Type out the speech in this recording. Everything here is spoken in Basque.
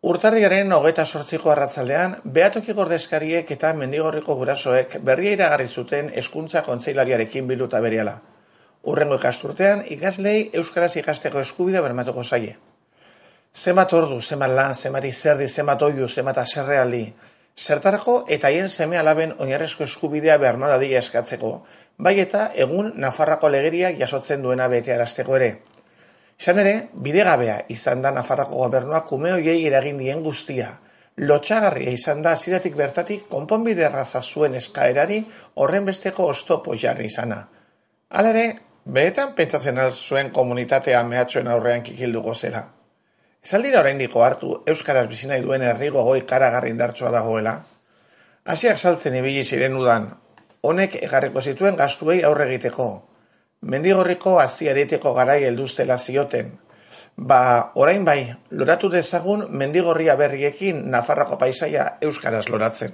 Urtarrilaren 28ko arratzaldean, Behatoki ordezkariek eta Mendigorriko gurasoek berria iragarri zuten hezkuntza kontseilariarekin bilduta berehala. Hurrengo ikasturtean, ikaslei euskaraz ikasteko eskubidea bermatuko zaie. Zenbat ordu, zenbat lan, zenbat izerdi, zenbat oihu, zenbat haserrealdi, zertarako eta haien seme-alaben oinarrizko eskubidea berma dadila eskatzeko, bai eta egun Nafarroako legeriak jasotzen duena betearazteko ere. Izan ere, bidegabea izan da Nafarroako gobernuak ume horiei eragin dien guztia. Lotsagarria izan da hasieratik bertatik konponbide erraza zuen eskaerari horren besteko oztopo jarri izana. Hala ere, benetan pentsatzen zuen komunitatea mehatxoen aurrean kikilduko zela. Ez aldira oraindiko hartu euskaraz bizi nahi duen herri gogoi karagarri indartsua dagoela. Hasiak saltzen ibili ziren udan, honek egarriko zituen gastuei aurre egiteko. Mendigorriko hazi-areteko garai helduztela zioten. Orain bai, loratu dezagun Mendigorria berriekin Nafarroako paisaia euskaraz loratzen.